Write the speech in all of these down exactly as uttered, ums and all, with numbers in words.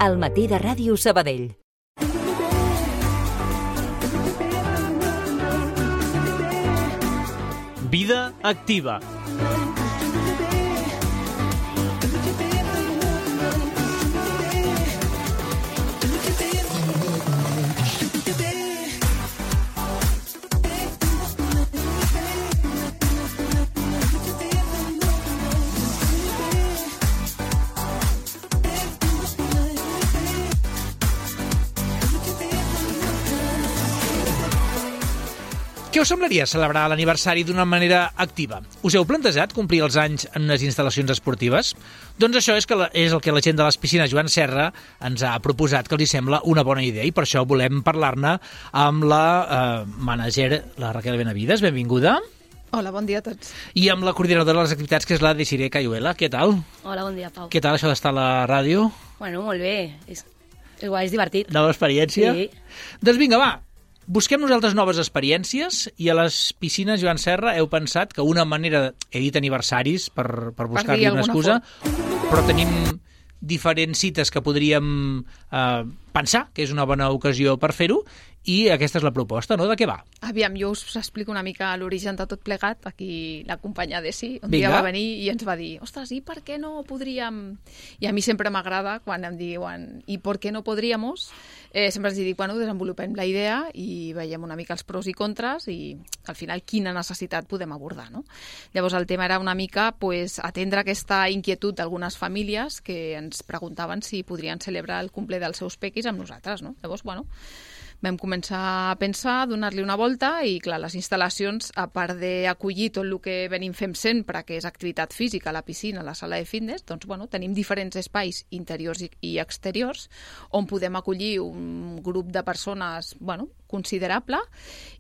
al matí de Ràdio Sabadell. Vida activa. Què us semblaria celebrar l'aniversari d'una manera activa? Us heu plantejat complir els anys en unes instal·lacions esportives? Doncs això és, que la, és el que la gent de les piscines Joan Serra ens ha proposat que els hi sembla una bona idea i per això volem parlar-ne amb la eh, manager, la Raquel Benavides. Benvinguda. Hola, bon dia a tots. I amb la coordinadora de les activitats, que és la Desiree Cayuela. Què tal? Hola, bon dia, Pau. Què tal això d'estar a la ràdio? Bueno, molt bé. És, és guai, és divertit. Nova experiència? Sí. Doncs vinga, va. Busquem nosaltres noves experiències i a les piscines Joan Serra heu pensat que una manera... He dit aniversaris per, per buscar-li una excusa, però tenim diferents cites que podríem eh, pensar que és una bona ocasió per fer-ho i aquesta és la proposta, no? De què va? Aviam, jo us explico una mica l'origen de tot plegat. Aquí la companya Desi un Vinga. dia va venir i ens va dir ostres, i per què no podríem... I a mi sempre m'agrada quan em diuen i per què no podríamos? Eh, sempre els dic, bueno, desenvolupem la idea i veiem una mica els pros i contres i al final quina necessitat podem abordar, no? Llavors el tema era una mica pues, atendre aquesta inquietud d'algunes famílies que ens preguntaven si podrien celebrar el cumple dels seus pequis amb nosaltres, no? Llavors, bueno, vam començar a pensar, donar-li una volta i, clar, les instal·lacions, a part d'acollir tot el que venim fent sempre, que és activitat física, la piscina, la sala de fitness, doncs, bueno, tenim diferents espais interiors i exteriors on podem acollir un grup de persones, bueno, considerable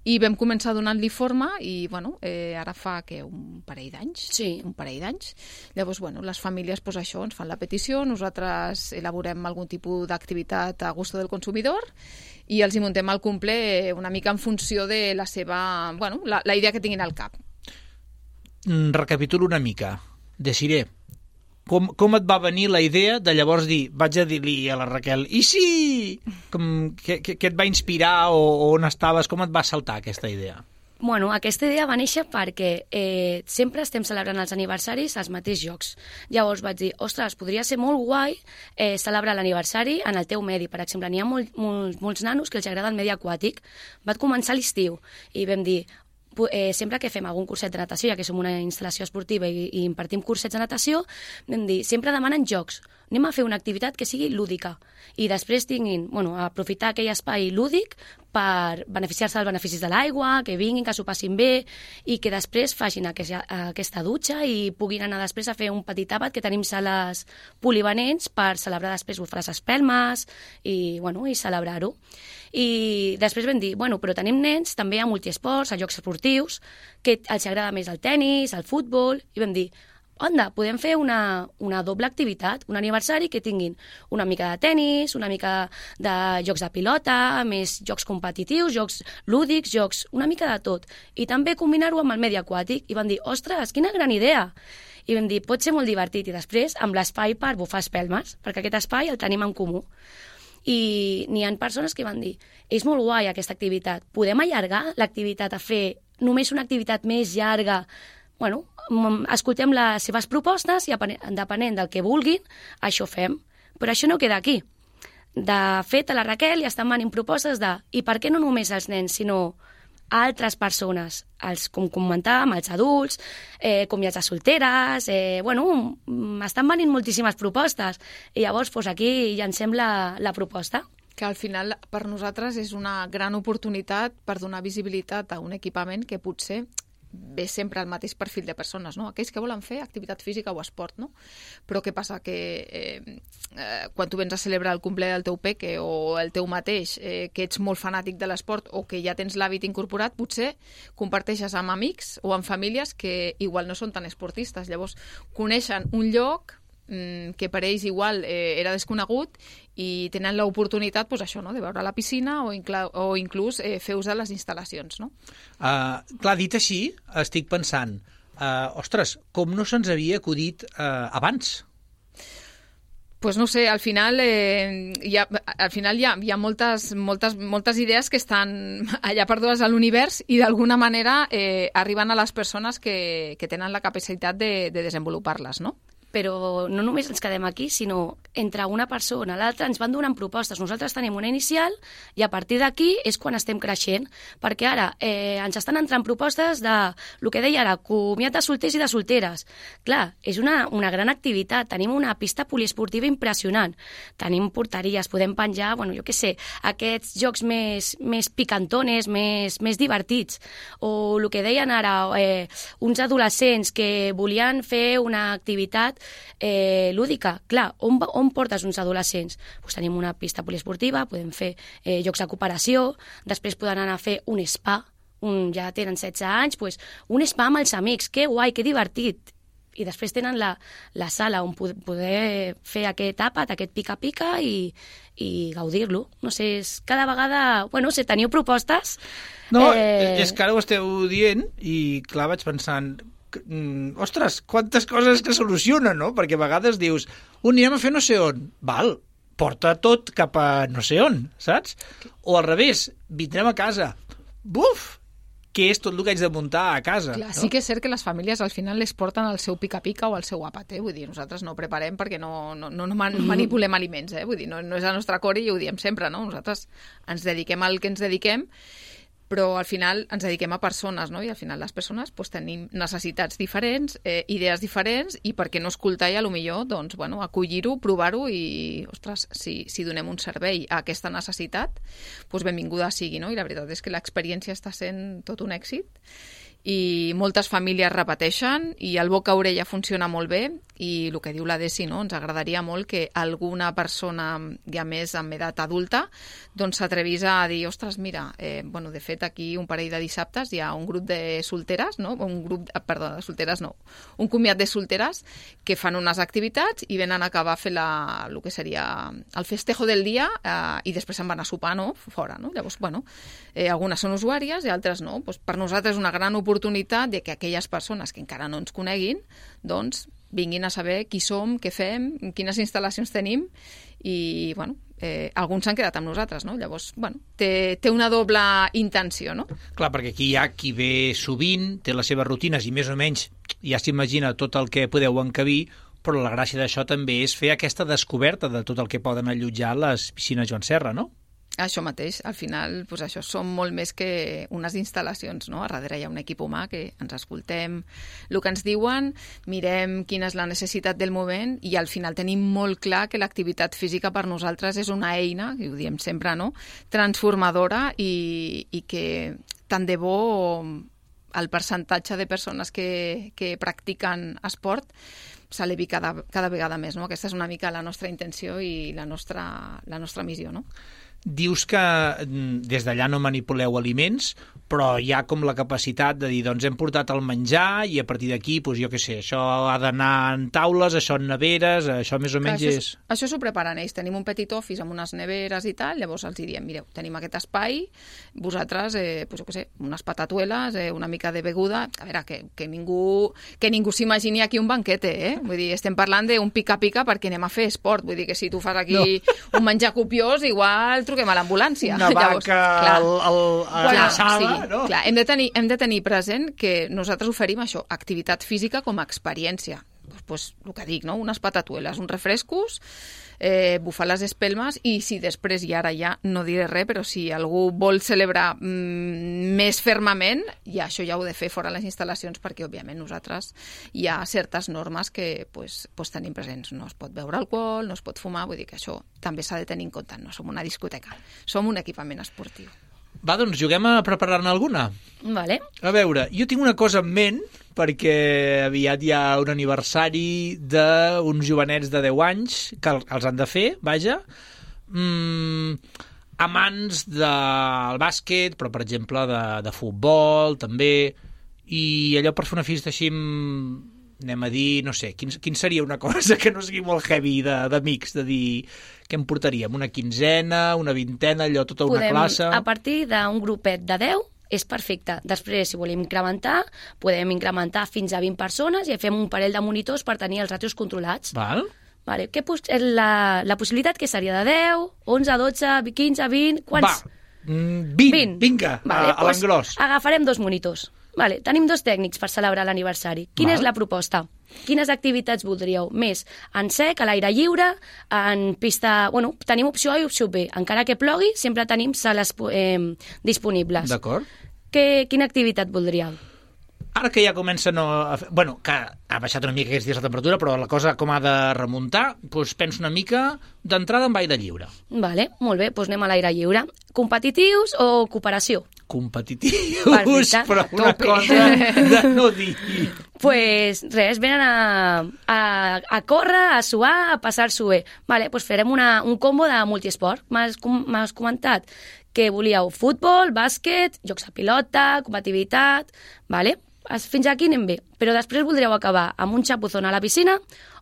i vam començar donant-li forma i, bueno, eh, ara fa, que un parell d'anys? Sí. Un parell d'anys. Llavors, bueno, les famílies, pues, això, ens fan la petició, nosaltres elaborem algun tipus d'activitat a gusto del consumidor i els hi muntem el cumple una mica en funció de la seva... Bueno, la, la idea que tinguin al cap. Mm, recapitulo una mica. Desiree, com, com et va venir la idea de llavors dir, vaig a dir-li a la Raquel, i sí! Com, què, què, què et va inspirar o, o on estaves? Com et va saltar aquesta idea? Bueno, aquesta idea va néixer perquè eh, sempre estem celebrant els aniversaris als mateixos llocs. Llavors vaig dir, ostres, podria ser molt guai eh, celebrar l'aniversari en el teu medi. Per exemple, n'hi ha molt, molt, molts nanos que els agrada el medi aquàtic. Va començar l'estiu i vam dir, eh, sempre que fem algun curset de natació, ja que som una instal·lació esportiva i, i impartim cursets de natació, vam dir, sempre demanen jocs. Anem a fer una activitat que sigui lúdica i després tinguin, bueno, aprofitar aquell espai lúdic per beneficiar-se dels beneficis de l'aigua, que vinguin, que s'ho passin bé i que després facin aquesta, aquesta dutxa i puguin anar després a fer un petit àpat, que tenim sales polivalents per celebrar després les espelmes i, bueno, i celebrar-ho. I després vam dir, bueno, però tenim nens també a multiesports, a jocs esportius, que els agrada més el tennis, el futbol, i vam dir, onda, podem fer una, una doble activitat, un aniversari que tinguin una mica de tennis, una mica de jocs de pilota, més jocs competitius, jocs lúdics, jocs, una mica de tot. I també combinar-ho amb el medi aquàtic. I van dir, ostres, quina gran idea! I vam dir, pot ser molt divertit. I després, amb l'espai per bufar espelmes, perquè aquest espai el tenim en comú. I n'hi ha persones que van dir, és molt guai aquesta activitat, podem allargar l'activitat a fer només una activitat més llarga? Bueno, escoltem les seves propostes i depenent del que vulguin, això fem. Però això no queda aquí. De fet, a la Raquel ja estan venint propostes de i per què no només els nens, sinó altres persones, els, com comentàvem, els adults, eh, comiats de solteres, eh, bueno, estan venint moltíssimes propostes i llavors doncs, aquí llancem la, la proposta. Que al final per nosaltres és una gran oportunitat per donar visibilitat a un equipament que potser ve sempre el mateix perfil de persones, no? Aquells que volen fer activitat física o esport, no? Però què passa? Que eh, eh, quan tu vens a celebrar el cumple del teu peque o el teu mateix, eh, que ets molt fanàtic de l'esport o que ja tens l'hàbit incorporat, potser comparteixes amb amics o amb famílies que igual no són tan esportistes. Llavors, coneixen un lloc que per ells igual eh, era desconegut i tenen l'oportunitat, pues, això, no? De veure la piscina o, incla- o inclús eh, fer ús de les instal·lacions. No? Uh, clar, dit així, estic pensant, uh, ostres, com no se'ns havia acudit uh, abans? Pues no sé, al final, eh, hi ha, al final hi ha, hi ha moltes, moltes, moltes idees que estan allà perdudes a l'univers i d'alguna manera eh, arriben a les persones que, que tenen la capacitat de, de desenvolupar-les, no? Però no només ens quedem aquí, sinó entre una persona i l'altra ens van donant propostes. Nosaltres tenim una inicial i a partir d'aquí és quan estem creixent, perquè ara eh, ens estan entrant propostes de, el que deia ara, comiat de solters i de solteres. Clar, és una, una gran activitat, tenim una pista poliesportiva impressionant, tenim porteries, podem penjar, bueno, jo què sé, aquests jocs més, més picantones, més, més divertits, o el que deien ara, eh, uns adolescents que volien fer una activitat Eh, lúdica. Clar, on, on portes uns adolescents? Pues tenim una pista poliesportiva, podem fer eh, jocs de cooperació, després poden anar a fer un spa, un, ja tenen setze anys, pues, un spa amb els amics, que guai, que divertit. I després tenen la, la sala on poder fer aquest àpat, aquest pica-pica i, i gaudir-lo. No sé, és cada vegada... Bueno, no sé, teniu propostes? No, eh... és que ara ho esteu dient i, clar, vaig pensant... ostres, quantes coses que solucionen, no? Perquè a vegades dius, un anirem a fer no sé on. Val, porta tot cap a no sé on, saps? O al revés, vindrem a casa. Buf! Què és tot el que haig de muntar a casa? Clar, no? Sí que és cert que les famílies al final les porten al seu pica-pica o al seu àpat, eh? Vull dir, nosaltres no preparem perquè no, no, no manipulem aliments, eh? Vull dir, no, no és la nostra core i ho diem sempre, no? Nosaltres ens dediquem al que ens dediquem, però al final ens dediquem a persones, no? I al final les persones pues, tenim necessitats diferents, eh, idees diferents, i per què no escoltar i a lo millor doncs, bueno, acollir-ho, provar-ho i, ostres, si, si donem un servei a aquesta necessitat, doncs benvinguda sigui, no? I la veritat és que l'experiència està sent tot un èxit i moltes famílies repeteixen i el boca a orella funciona molt bé i el que diu la Desi, no? Ens agradaria molt que alguna persona, ja més amb edat adulta, doncs s'atrevís a dir, ostres, mira, eh, bueno, de fet aquí un parell de dissabtes hi ha un grup de solteres, no? Un grup, perdó, de solteres no, un comiat de solteres que fan unes activitats i venen a acabar a fer la, el que seria el festejo del dia eh, i després se'n van a sopar, no? Fora, no? Llavors, bueno, eh, algunes són usuàries i altres no. Pues per nosaltres és una gran oportunitat de que aquelles persones que encara no ens coneguin, doncs, vinguin a saber qui som, què fem, quines instal·lacions tenim i, bueno, eh, alguns s'han quedat amb nosaltres, no? Llavors, bueno, té, té una doble intenció, no? Clar, perquè aquí hi ha qui ve sovint, té les seves rutines i més o menys ja s'imagina tot el que podeu encabir, però la gràcia d'això també és fer aquesta descoberta de tot el que poden allotjar les piscines Joan Serra, no? Això mateix, al final, doncs això, som molt més que unes instal·lacions, no? A darrere hi ha un equip humà que ens escoltem el que ens diuen, mirem quina és la necessitat del moment i al final tenim molt clar que l'activitat física per nosaltres és una eina, i ho diem sempre, no?, transformadora i, i que tant de bo el percentatge de persones que, que practiquen esport s'elevi cada, cada vegada més, no? Aquesta és una mica la nostra intenció i la nostra, la nostra missió, no? Dius que des d'allà no manipuleu aliments, però hi ha com la capacitat de dir, doncs hem portat el menjar i a partir d'aquí, doncs jo què sé, això ha d'anar en taules, això en neveres, això més o menys Clar, és... Això, això s'ho preparen ells. Tenim un petit office amb unes neveres i tal, llavors els diem, mireu, tenim aquest espai, vosaltres, eh, doncs jo què sé, unes patatueles, eh, una mica de beguda, a veure, que, que ningú, que ningú s'imagini aquí un banquete, eh? Vull dir, estem parlant d'un pica-pica perquè anem a fer esport, vull dir que si tu fas aquí no. un menjar copiós, igual truquem a l'ambulància. Una Llavors, vaca clar, al, al, a clar, l'assada, sí, no? Clar, hem de, tenir, hem de tenir present que nosaltres oferim això, activitat física com a experiència. Pues, pues, el que dic, no? Unes patatueles, uns refrescos, eh, bufar les espelmes i si després, i ara ja no diré res, però si algú vol celebrar mm, més fermament, ja això ja ho he de fer fora les instal·lacions perquè, òbviament, nosaltres hi ha certes normes que pues, pues, tenim presents. No es pot beure alcohol, no es pot fumar, vull dir que això també s'ha de tenir en compte. No som una discoteca, som un equipament esportiu. Va, doncs juguem a preparar-ne alguna. Vale. A veure, jo tinc una cosa en ment, perquè aviat hi ha un aniversari d'uns jovenets de deu anys, que els han de fer, vaja, mm, amants del bàsquet, però, per exemple, de, de futbol, també, i allò per fer una festa així, anem a dir, no sé, quin, quin seria una cosa que no sigui molt heavy d'amics, de, de dir, què em portaríem? Una quinzena, una vintena, allò, tota una podem, classe... A partir d'un grupet de deu és perfecte. Després, si volem incrementar, podem incrementar fins a vint persones i fem un parell de monitors per tenir els ràtios controlats. Val. Vale. Què, la, la possibilitat que seria de deu, onze, dotze, quinze, vint... Quants? Va, vint, vint. Vinga, vale, a, a l'engròs. Doncs agafarem dos monitors. Vale. Tenim dos tècnics per celebrar l'aniversari. Quina Val. és la proposta? Quines activitats voldríeu? Més en sec, a l'aire lliure, en pista... Bueno, tenim opció A i opció B. Encara que plogui, sempre tenim sales eh, disponibles. D'acord. Quina activitat voldríeu? Ara que ja comença no a... Bueno, que ha baixat una mica aquests dies la temperatura, però la cosa com ha de remuntar, doncs penso una mica d'entrada en aire lliure. Vale, molt bé, doncs anem a l'aire lliure. Competitius o cooperació? Competitius, Perfecte. Però una Tope. cosa de no dir. Pues res, venen a, a, a córrer, a suar, a passar-s'ho bé. Vale, doncs farem una, un combo de multiesport. M'has comentat que volíeu futbol, bàsquet, jocs de pilota, competitivitat... Vale? Fins aquí anem bé, però després voldríeu acabar amb un xapuzón a la piscina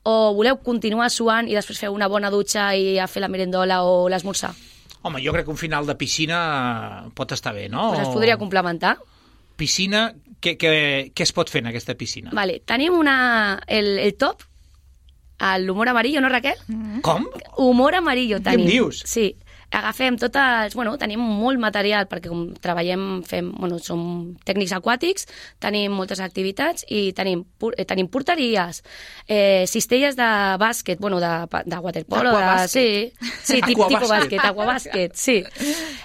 o voleu continuar suant i després fer una bona dutxa i a fer la merendola o l'esmorzar? Home, jo crec que un final de piscina pot estar bé, no? Pues es podria complementar. Piscina, què, què, què es pot fer en aquesta piscina? Vale, tenim una, el, el top, l'humor amarillo, no, Raquel? Com? Humor amarillo tenim. Què em dius? Sí. Agafem totes... Bueno, tenim molt material perquè com treballem, fem... Bueno, som tècnics aquàtics, tenim moltes activitats i tenim, eh, tenim porteries, eh, cistelles de bàsquet, bueno, de, de waterpolo, de... Sí, sí tipus bàsquet, aquabàsquet, sí.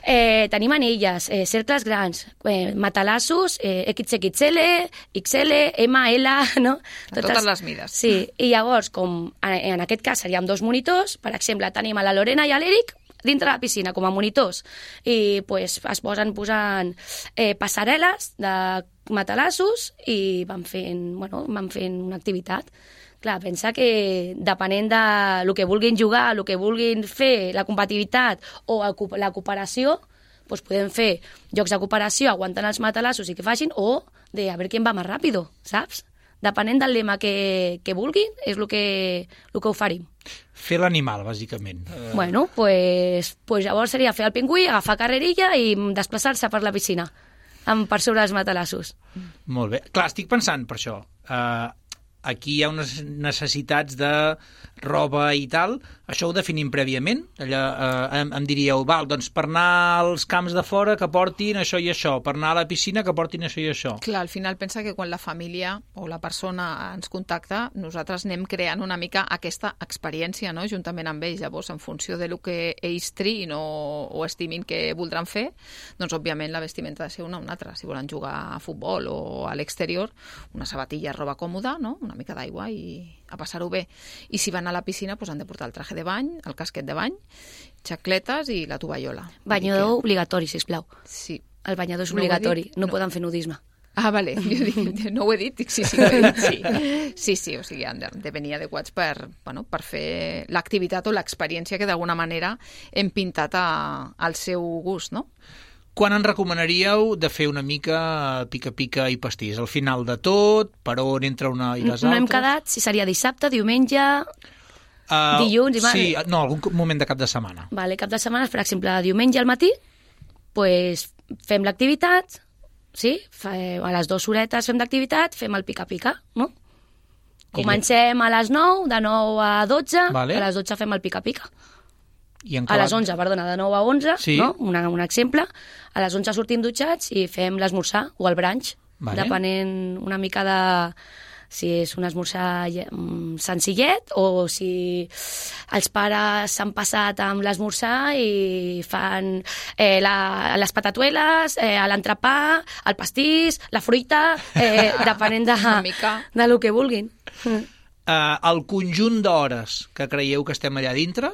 Eh, tenim anelles, eh, cercles grans, eh, matalassos, eh, X X L, X L, M L, no? Totes, totes les mides. Sí, i llavors, com en, en aquest cas seríem dos monitors, per exemple, tenim a la Lorena i a l'Eric, dintre la piscina, com a monitors, i pues, es posen posant eh, passarel·les de matalassos i van fent, bueno, van fent una activitat. Clar, pensa que depenent de lo que vulguin jugar, el que vulguin fer, la competitivitat o el, la cooperació, pues podem fer jocs de cooperació aguantant els matalassos i que facin, o de a veure qui va més ràpido, saps? Depenent del lema que, que vulguin, és el que, el que oferim. Fer l'animal, bàsicament. Bueno, pues, pues llavors seria fer el pingüí, agafar carrerilla i desplaçar-se per la piscina, amb, per sobre els matalassos. Molt bé. Clar, estic pensant per això. Uh, aquí hi ha unes necessitats de roba i tal. Això ho definim prèviament? Allà, eh, em, em diríeu, val, doncs per anar als camps de fora que portin això i això, per anar a la piscina que portin això i això. Clar, al final pensa que quan la família o la persona ens contacta, nosaltres anem creant una mica aquesta experiència, no?, juntament amb ells. Llavors, en funció de lo que ells triïn o, o estimin que voldran fer, doncs, òbviament, la vestimenta ha de ser una o una altra. Si volen jugar a futbol o a l'exterior, una sabatilla, roba còmoda, no?, una mica d'aigua i a passar-ho bé. I si van a la piscina, doncs han de portar el traje de bany, el casquet de bany, xacletes i la tovallola. Banyador que... obligatori, sisplau. Sí. El banyador és obligatori, no, no poden fer nudisme. Ah, vale, jo dic, no ho he dit, dic, sí, sí, ho he dit, sí. Sí, sí, o sigui, han de, de venir adequats per, bueno, per fer l'activitat o l'experiència que d'alguna manera hem pintat a, al seu gust, no? Quan en recomanaríeu de fer una mica pica-pica i pastís? Al final de tot? Per on entra una i les altres? No hem quedat si seria dissabte, diumenge, uh, dilluns... I sí, no, algun moment de cap de setmana. Vale, cap de setmana, per exemple, diumenge al matí, pues, fem l'activitat, sí? A les dues horetes fem d'activitat, fem el pica-pica, no? Comencem a les nou, de nou a dotze, vale. A les dotze fem el pica-pica. I a les onze, perdona, de nou a onze, sí. No? Una, un exemple. A les onze sortim dutxats i fem l'esmorzar o el brunch, vale. Depenent una mica de si és un esmorzar senzillet o si els pares s'han passat amb l'esmorzar i fan eh, la, les patatueles, eh, l'entrepà, el pastís, la fruita, eh, depenent de, de lo que vulguin. Uh, el conjunt d'hores que creieu que estem allà dintre,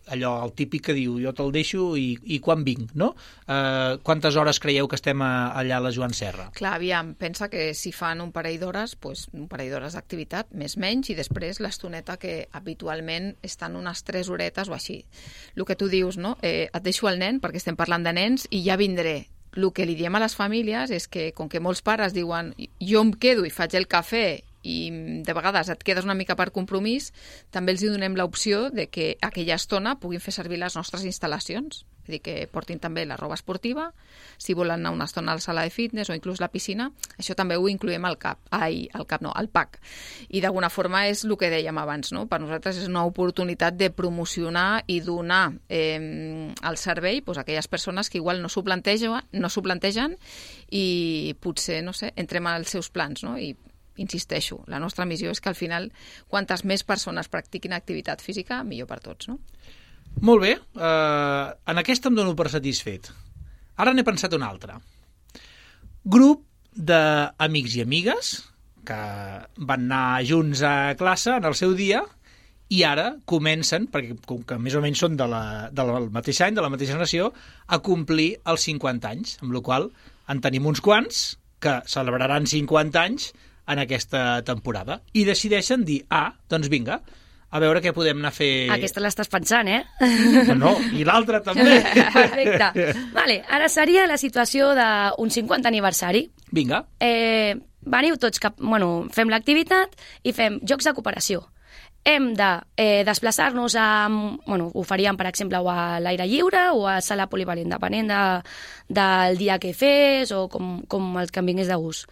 allò, el típic que diu, jo te'l deixo i, i quan vinc, no? Uh, quantes hores creieu que estem a, allà a la Joan Serra? Clar, aviam, pensa que si fan un parell d'hores, pues, un parell d'hores d'activitat, més menys, i després l'estoneta que habitualment estan unes tres horetes o així. El que tu dius, no? Eh, et deixo el nen, perquè estem parlant de nens, i ja vindré. El que li diem a les famílies és que, com que molts pares diuen jo em quedo i faig el cafè i de vegades et quedes una mica per compromís, també els hi donem l'opció de que aquella estona puguin fer servir les nostres instal·lacions. Vull dir que portin també la roba esportiva, si volen anar una estona a la sala de fitness o inclús la piscina, això també ho incloem al cap, ai, al cap no, al pack. I d'alguna forma és el que dèiem abans, no? Per nosaltres és una oportunitat de promocionar i donar eh, el servei doncs, a aquelles persones que igual no s'ho plantegen, no s'ho plantegen i potser, no sé, entrem als seus plans, no? I insisteixo, la nostra missió és que al final, quantes més persones practiquin activitat física, millor per tots, no? Molt bé. Uh, en aquesta em dono per satisfet. Ara n'he pensat una altra. Grup d'amics i amigues que van anar junts a classe en el seu dia i ara comencen, perquè com que més o menys són de la, del mateix any, de la mateixa generació, a complir els cinquanta anys, amb la qual cosa en tenim uns quants que celebraran cinquanta anys en aquesta temporada. I decideixen dir, ah, doncs vinga, a veure què podem anar a fer... Aquesta l'estàs pensant, eh? No, no, i l'altra també. Perfecte. Vale, ara seria la situació d'un cinquanta aniversari. Vinga. Eh, veniu tots cap... Bueno, fem l'activitat i fem jocs de cooperació. Hem de eh, desplaçar-nos a... Bueno, ho faríem, per exemple, o a l'aire lliure o a sala polivalent, depenent de, del dia que fes o com, com el que em vingués de gust.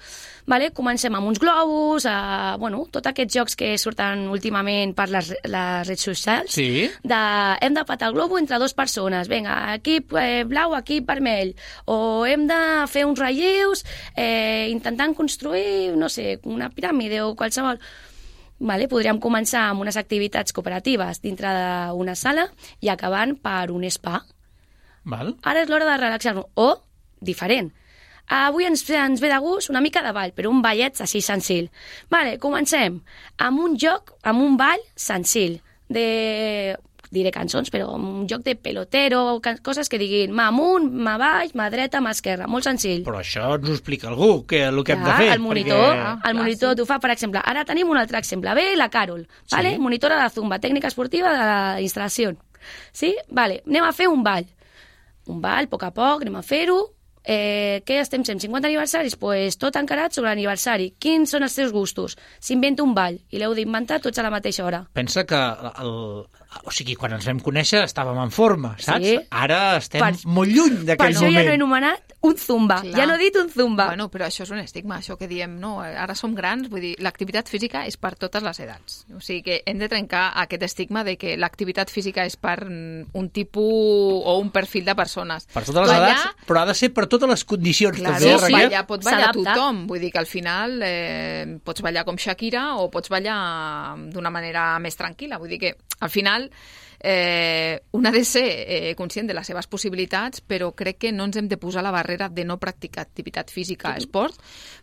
Vale? Comencem amb uns globus, a, bueno, tots aquests jocs que surten últimament per les, les redes socials. Sí. De, hem de patar el globo entre dues persones. Vinga, equip eh, blau, equip vermell. O hem de fer uns relleus eh, intentant construir, no sé, una piràmide o qualsevol... Vale, podríem començar amb unes activitats cooperatives dintre d'una sala i acabant per un spa. Val. Ara és l'hora de relaxar-nos. O, diferent, avui ens, ens ve de gust una mica de ball, però un ballet així senzill. Vale, comencem amb un joc, amb un ball senzill, de... diré cançons, però un joc de pelotero, coses que diguin mà amunt, mà baix, mà dreta, mà esquerra, molt senzill. Però això ens ho explica algú, que el que ja, hem de fer. El monitor, perquè... el monitor t'ho fa, per exemple. Ara tenim un altre exemple. Ve la Carol, sí. Vale? Monitora de Zumba, tècnica esportiva de la instal·lació. Sí? Vale. Anem a fer un ball. Un ball, a poc a poc, anem a fer-ho. Eh, què estem sent? cinquanta aniversaris? Doncs pues, tot encarat sobre l'aniversari. Quins són els teus gustos? S'inventa un ball i l'heu d'inventar tots a la mateixa hora. Pensa que el, o sigui, quan ens vam conèixer estàvem en forma, saps? Sí. Ara estem per, molt lluny d'aquell moment. Per això ja no he anomenat un zumba. Clar. Ja no he dit un zumba. Bueno, però això és un estigma, això que diem, no, ara som grans, vull dir, l'activitat física és per totes les edats. O sigui que hem de trencar aquest estigma de que l'activitat física és per un tipus o un perfil de persones. Per totes les ballar, edats, però ha de ser per totes les condicions. Claro, també, sí, ballar, pot ballar s'adapta. tothom, vull dir que al final eh, pots ballar com Shakira o pots ballar d'una manera més tranquil·la, vull dir que al final eh, un ha de ser eh, conscient de les seves possibilitats, però crec que no ens hem de posar la barrera de no practicar activitat física, esport,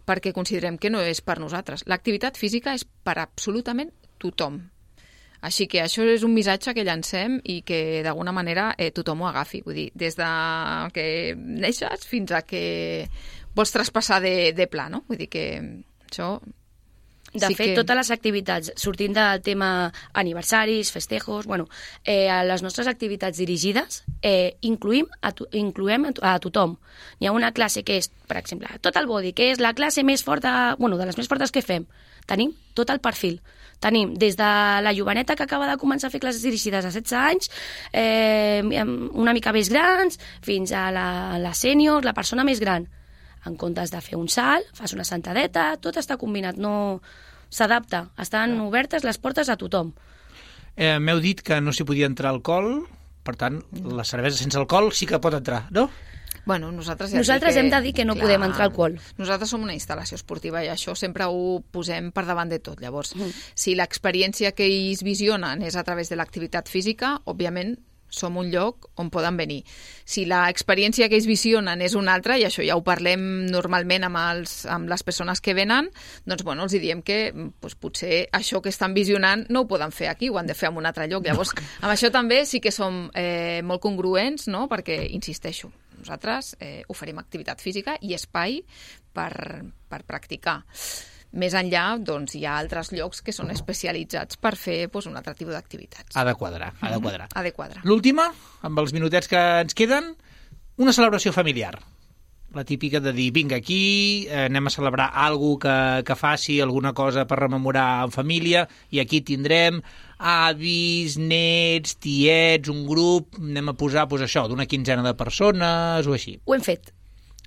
perquè considerem que no és per nosaltres. L'activitat física és per absolutament tothom. Així que això és un missatge que llancem i que d'alguna manera eh, tothom ho agafi. Vull dir, des de que neixes fins a que vols traspassar de, de pla, no? Vull dir que això... De sí fet, que... totes les activitats, sortint del tema aniversaris, festejos, bueno, eh, a les nostres activitats dirigides eh, incluïm a to incluem a, to a tothom. Hi ha una classe que és, per exemple, tot el body, que és la classe més forta, bueno, de les més fortes que fem. Tenim tot el perfil. Tenim des de la joveneta que acaba de començar a fer classes dirigides a setze anys, eh, una mica més grans, fins a la, la sènior, la persona més gran. En comptes de fer un salt, fas una sentadeta, tot està combinat, no s'adapta. Estan obertes les portes a tothom. Eh, M'heu dit que no s'hi podia entrar alcohol, per tant, la cervesa sense alcohol sí que pot entrar, no? Bueno, nosaltres ja nosaltres que, hem de dir que no clar, podem entrar alcohol. Nosaltres som una instal·lació esportiva i això sempre ho posem per davant de tot. Llavors, Mm. si l'experiència que ells visionen és a través de l'activitat física, òbviament som un lloc on poden venir. Si l'experiència que ells visionen és una altra, i això ja ho parlem normalment amb, els, amb les persones que venen, doncs bueno, els diem que doncs, potser això que estan visionant no ho poden fer aquí, ho han de fer en un altre lloc. Llavors, amb això també sí que som eh, molt congruents, no? Perquè, insisteixo, nosaltres eh, oferim activitat física i espai per, per practicar. Més enllà, doncs, hi ha altres llocs que són especialitzats per fer doncs, un altre tipus d'activitats. Ha de quadrar, ha de quadrar. Ha de quadrar. L'última, amb els minutets que ens queden, una celebració familiar. la típica de dir, vinga, aquí eh, anem a celebrar alguna que, que faci alguna cosa per rememorar en família, i aquí tindrem avis, nets, tiets, un grup, anem a posar pues, això, d'una quinzena de persones o així. Ho hem fet.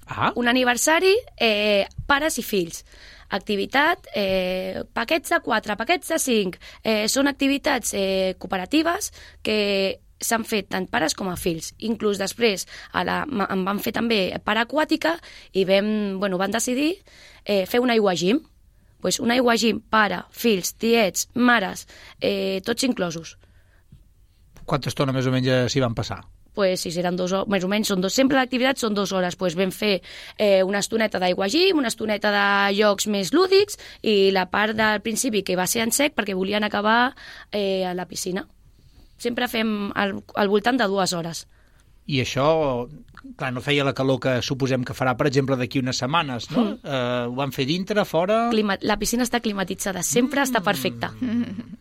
Ah. Un aniversari, eh, pares i fills. Activitat, eh, paquets de quatre, paquets de cinc. Eh, són activitats eh, cooperatives que s'han fet tant pares com a fills. Inclús després a la, em van fer també paraquàtica i vam, bueno, van decidir eh, fer un aiguagim. Pues un aiguagim, pare, fills, tiets, mares, eh, tots inclosos. Quanta estona més o menys s'hi van passar? Pues, si seran dos hores, més o menys, són dos, sempre l'activitat són dues hores. Pues vam fer eh, una estoneta d'aiguagim, una estoneta de jocs més lúdics i la part del principi que va ser en sec perquè volien acabar eh, a la piscina. Sempre fem al, al voltant de dues hores. I això, clar, no feia la calor que suposem que farà, per exemple, d'aquí unes setmanes, no? Mm. Uh, ho van fer dintre, fora... Clima... La piscina està climatitzada, sempre mm. està perfecta. Mm.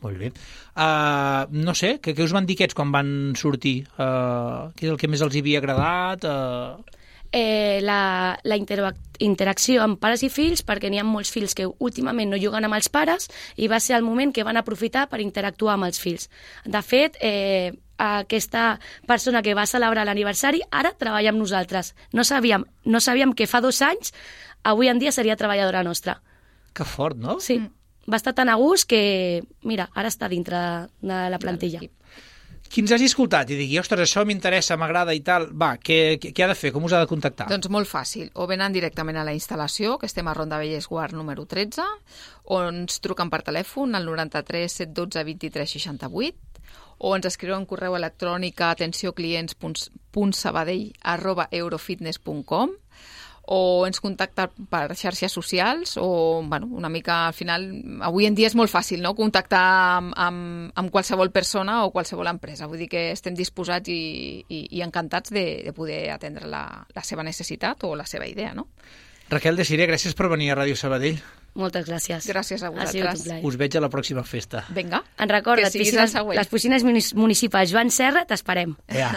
Molt bé. Uh, no sé, què, què us van dir aquests quan van sortir? Uh, què és el que més els havia agradat? Uh... Eh, la, la interac interacció amb pares i fills, perquè n'hi ha molts fills que últimament no juguen amb els pares i va ser el moment que van aprofitar per interactuar amb els fills. De fet, eh, aquesta persona que va celebrar l'aniversari ara treballa amb nosaltres. No sabíem, no sabíem que fa dos anys, avui en dia seria treballadora nostra. Que fort, no? Sí. Mm. Va estar tan a gust que, mira, ara està dintre de la plantilla. Qui ens hagi escoltat i digui, ostres, això m'interessa, m'agrada i tal, va, què, què ha de fer? Com us ha de contactar? Doncs molt fàcil. O venen directament a la instal·lació, que estem a Ronda Vallès-Guard número tretze, o ens truquen per telèfon al noranta-tres set dotze vint-i-tres seixanta-vuit, o ens escriuen correu electrònic a atencioclients punt sabadell arroba eurofitness punt com, o ens contacta per xarxes socials, o bueno, una mica al final, avui en dia és molt fàcil, no?, contactar amb, amb, amb qualsevol persona o qualsevol empresa. Vull dir que estem disposats i, i, i encantats de, de poder atendre la, la seva necessitat o la seva idea, no? Raquel de Siré, gràcies per venir a Ràdio Sabadell. Moltes gràcies. Gràcies a vosaltres. Us veig a la pròxima festa. Vinga. En recorda't, piscines, les piscines municipals Joan Serra, t'esperem. Ja.